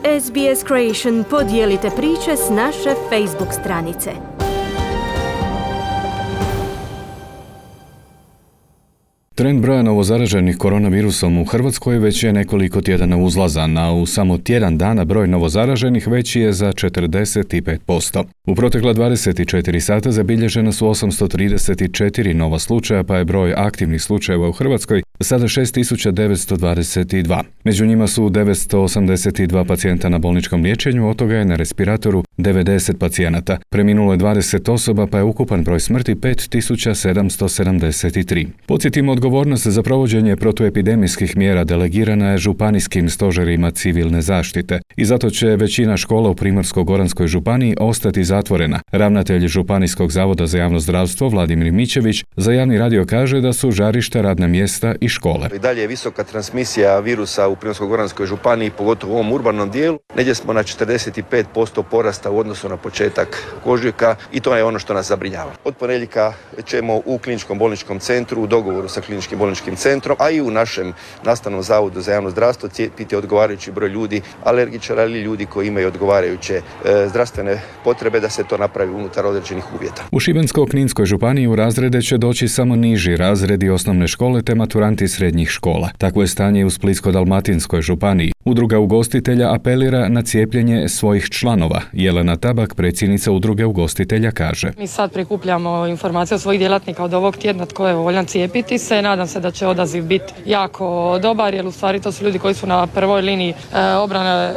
SBS Creation podijelite priče s naše Facebook stranice. Trend broja novozaraženih koronavirusom u Hrvatskoj već je nekoliko tjedana uzlazan, a u samo tjedan dana broj novozaraženih veći je za 45%. U protekla 24 sata zabilježena su 834 nova slučaja, pa je broj aktivnih slučajeva u Hrvatskoj sada 6922. Među njima su 982 pacijenta na bolničkom liječenju, od toga je na respiratoru 90 pacijenata. Preminulo je 20 osoba, pa je ukupan broj smrti 5773. Podsjetimo, odgovornost za provođenje protuepidemijskih mjera delegirana je županijskim stožerima civilne zaštite i zato će većina škola u Primorsko-goranskoj županiji ostati zatvorena. Ravnatelj Županijskog zavoda za javno zdravstvo Vladimir Mićević za javni radio kaže da su žarišta radna mjesta i škole. I dalje je visoka transmisija virusa u Primorsko-goranskoj županiji, pogotovo u ovom urbanom dijelu. Negdje smo na 45% porasta u odnosu na početak ožujka i to je ono što nas zabrinjava. Od ponedjeljka ćemo u kliničkom bolničkom centru u dogovoru sa kliničkim bolničkim centrom, a i u našem nastavnom zavodu za javno zdravstvo cijepiti odgovarajući broj ljudi, alergičara ili ljudi koji imaju odgovarajuće zdravstvene potrebe da se to napravi unutar određenih uvjeta. U Šibensko-kninskoj županiji u razrede će doći samo niži razredi osnovne škole te maturanti srednjih škola. Takvo je stanje u Splitsko-dalmatinskoj županiji. Udruga ugostitelja apelira na cijepljenje svojih članova. Jelena Tabak, predsjednica udruge ugostitelja, kaže: Mi sad prikupljamo informacije od svojih djelatnika od ovog tjedna tko je voljan cijepiti se. Nadam se da će odaziv biti jako dobar, jer u stvari to su ljudi koji su na prvoj liniji obrane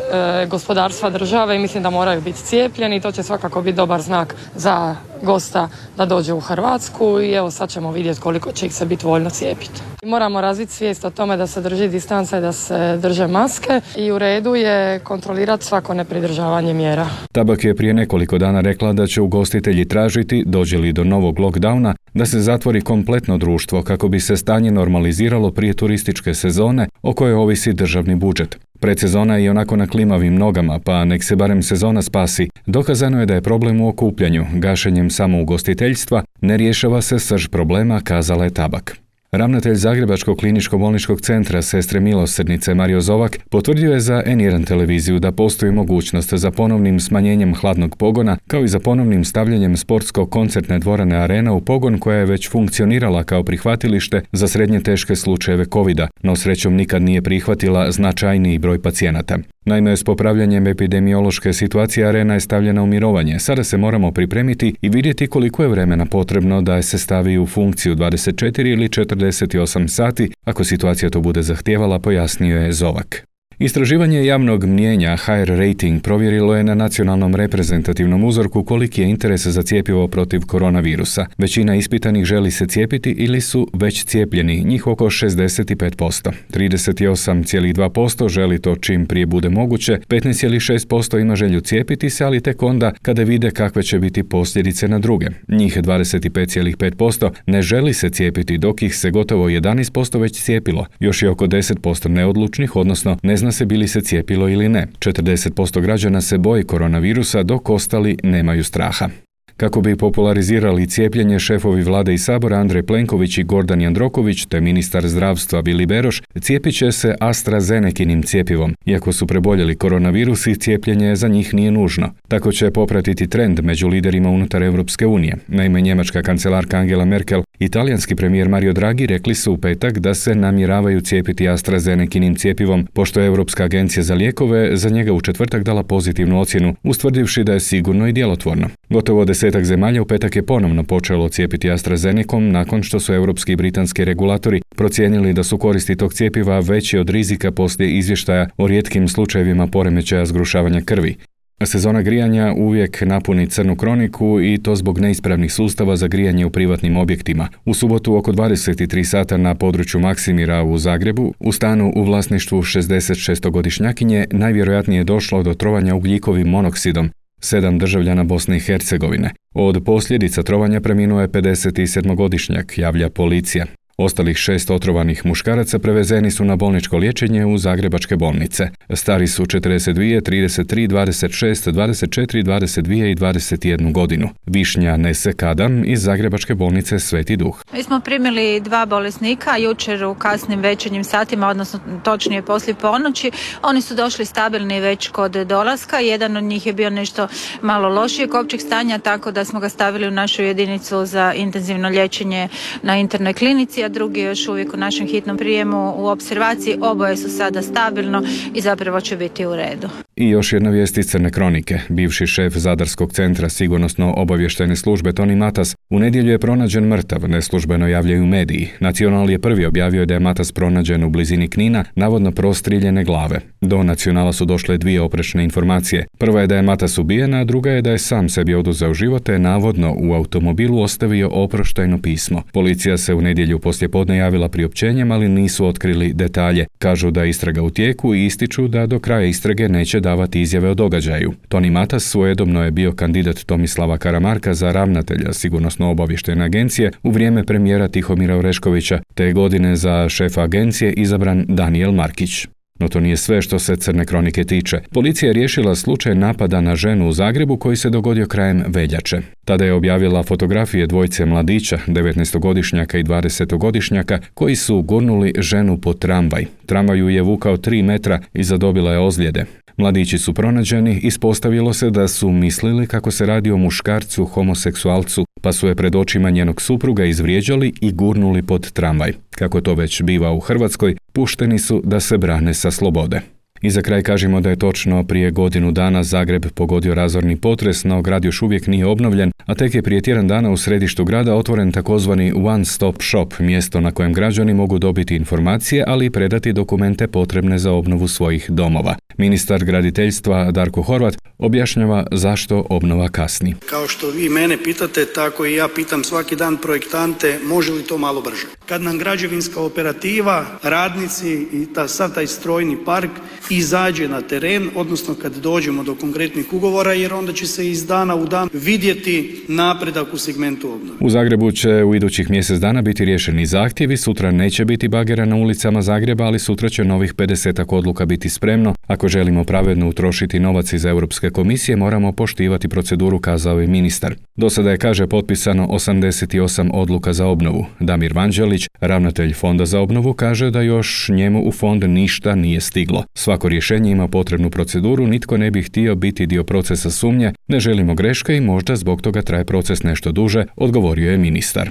gospodarstva države i mislim da moraju biti cijepljeni. To će svakako biti dobar znak za gosta da dođe u Hrvatsku i evo sad ćemo vidjeti koliko će ih se biti voljno cijepiti. Moramo razviti svijest o tome da se drži distanca i da se drže maske i u redu je kontrolirati svako nepridržavanje mjera. Tabak je prije nekoliko dana rekla da će ugostitelji tražiti, dođe li do novog lockdowna, da se zatvori kompletno društvo kako bi se stanje normaliziralo prije turističke sezone o kojoj ovisi državni budžet. Predsezona je onako na klimavim nogama, pa nek se barem sezona spasi. Dokazano je da je problem u okupljanju. Gašenjem samougostiteljstva ne rješava se srž problema, kazala je Tabak. Ravnatelj Zagrebačkog kliničko-bolničkog centra Sestre milosrdnice Mario Zovak potvrdio je za N1 televiziju da postoji mogućnost za ponovnim smanjenjem hladnog pogona, kao i za ponovnim stavljanjem sportsko-koncertne dvorane Arena u pogon koja je već funkcionirala kao prihvatilište za srednje teške slučajeve covida, no srećom nikad nije prihvatila značajniji broj pacijenata. Naime, s popravljanjem epidemiološke situacije Arena je stavljena u mirovanje. Sada se moramo pripremiti i vidjeti koliko je vremena potrebno da se stavi u funkciju 24 ili 48 sati, ako situacija to bude zahtijevala, pojasnio je Zovak. Istraživanje javnog mnijenja HR Rating provjerilo je na nacionalnom reprezentativnom uzorku koliki je interes za cjepivo protiv koronavirusa. Većina ispitanih želi se cijepiti ili su već cijepljeni, njih oko 65%. 38,2% želi to čim prije bude moguće, 15,6% ima želju cijepiti se, ali tek onda kada vide kakve će biti posljedice na druge. Njih 25,5% ne želi se cijepiti, dok ih se gotovo 11% već cijepilo. Još je oko 10% neodlučnih, odnosno ne zna se bili se cijepilo ili ne. 40% građana se boji koronavirusa, dok ostali nemaju straha. Kako bi popularizirali cijepljenje, šefovi vlade i sabora Andrej Plenković i Gordan Jandroković te ministar zdravstva Vili Beroš cijepit će se AstraZenekinim cjepivom. Iako su preboljeli koronavirus i cijepljenje za njih nije nužno. Tako će popratiti trend među liderima unutar Europske unije. Naime, njemačka kancelarka Angela Merkel i talijanski premijer Mario Draghi rekli su u petak da se namjeravaju cijepiti AstraZenekinim cjepivom, pošto je Europska agencija za lijekove za njega u četvrtak dala pozitivnu ocjenu, ustvrdivši da je sigurno i djelotvorno. Gotovo 10 zemalja u petak je ponovno počelo cijepiti AstraZenecom nakon što su europski i britanski regulatori procijenili da su koristi tog cjepiva veći od rizika poslije izvještaja o rijetkim slučajevima poremećaja zgrušavanja krvi. Sezona grijanja uvijek napuni crnu kroniku i to zbog neispravnih sustava za grijanje u privatnim objektima. U subotu oko 23 sata na području Maksimira u Zagrebu, u stanu u vlasništvu 66-godišnjakinje najvjerojatnije je došlo do trovanja ugljikovim monoksidom 7 državljana Bosne i Hercegovine. Od posljedica trovanja preminuo je 57-godišnjak, javlja policija. Ostalih 6 otrovanih muškaraca prevezeni su na bolničko liječenje u zagrebačke bolnice. Stari su 42, 33, 26, 24, 22 i 21 godinu. Višnja Nese Kadam iz zagrebačke bolnice Sveti Duh. Mi smo primili 2 bolesnika jučer u kasnim večernjim satima, odnosno točnije poslije ponoći. Oni su došli stabilni već kod dolaska. Jedan od njih je bio nešto malo lošijeg općeg stanja, tako da smo ga stavili u našu jedinicu za intenzivno liječenje na internoj klinici, a drugi je još uvijek u našem hitnom prijemu u opservaciji. Oboje su sada stabilno i zapravo će biti u redu. I još jedna vijest iz Crne kronike. Bivši šef Zadarskog centra sigurnosno-obavještajne službe Toni Matas u nedjelju je pronađen mrtav, neslužbeno javljaju mediji. Nacional je prvi objavio da je Matas pronađen u blizini Knina, navodno prostrijeljene glave. Do Nacionala su došle 2 oprečne informacije. Prva je da je Matas ubijen, a druga je da je sam sebi oduzeo život te navodno u automobilu ostavio oproštajno pismo. Policija se u nedjelju poslijepodne javila priopćenjem, ali nisu otkrili detalje. Kažu da je istraga u tijeku i ističu da do kraja istrage neće davati izjave o događaju. Toni Matas svojedobno je bio kandidat Tomislava Karamarka za ravnatelja sigurnosno-obavještajne agencije u vrijeme premijera Tihomira Oreškovića, te godine za šefa agencije izabran Danijel Markić. No to nije sve što se Crne kronike tiče. Policija je riješila slučaj napada na ženu u Zagrebu koji se dogodio krajem veljače. Tada je objavila fotografije dvojice mladića, 19-godišnjaka i 20-godišnjaka, koji su gurnuli ženu pod tramvaj. Tramvaj ju je vukao 3 metra i zadobila je ozljede. Mladići su pronađeni, ispostavilo se da su mislili kako se radi o muškarcu homoseksualcu, pa su je pred očima njenog supruga izvrijeđali i gurnuli pod tramvaj. Kako to već biva u Hrvatskoj, pušteni su da se brane sa slobode. I za kraj kažemo da je točno prije godinu dana Zagreb pogodio razorni potres, no grad još uvijek nije obnovljen, a tek je prije tjedan dana u središtu grada otvoren takozvani One Stop Shop, mjesto na kojem građani mogu dobiti informacije, ali i predati dokumente potrebne za obnovu svojih domova. Ministar graditeljstva Darko Horvat objašnjava zašto obnova kasni. Kao što vi mene pitate, tako i ja pitam svaki dan projektante može li to malo brže. Kad nam građevinska operativa, radnici i sav taj strojni park izađe na teren, odnosno kad dođemo do konkretnih ugovora, jer onda će se iz dana u dan vidjeti napredak u segmentu obnove. U Zagrebu će u idućih mjesec dana biti riješeni zahtjevi, sutra neće biti bagera na ulicama Zagreba, ali sutra će novih 50 odluka biti spremno. Ako želimo pravedno utrošiti novac iz Europske komisije, moramo poštivati proceduru, kazao je ministar. Do sada je, kaže, potpisano 88 odluka za obnovu. Damir Vanđelić, ravnatelj Fonda za obnovu, kaže da još njemu u fond ništa nije stiglo. Svako rješenje ima potrebnu proceduru, nitko ne bi htio biti dio procesa sumnje, ne želimo greške i možda zbog toga traje proces nešto duže, odgovorio je ministar.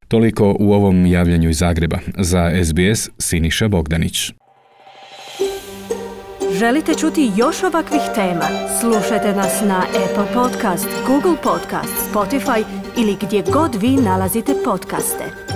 Toliko u ovom javljanju iz Zagreba. Za SBS, Siniša Bogdanić. Želite čuti još ovakvih tema? Slušajte nas na Apple Podcast, Google Podcast, Spotify ili gdje god vi nalazite podcaste.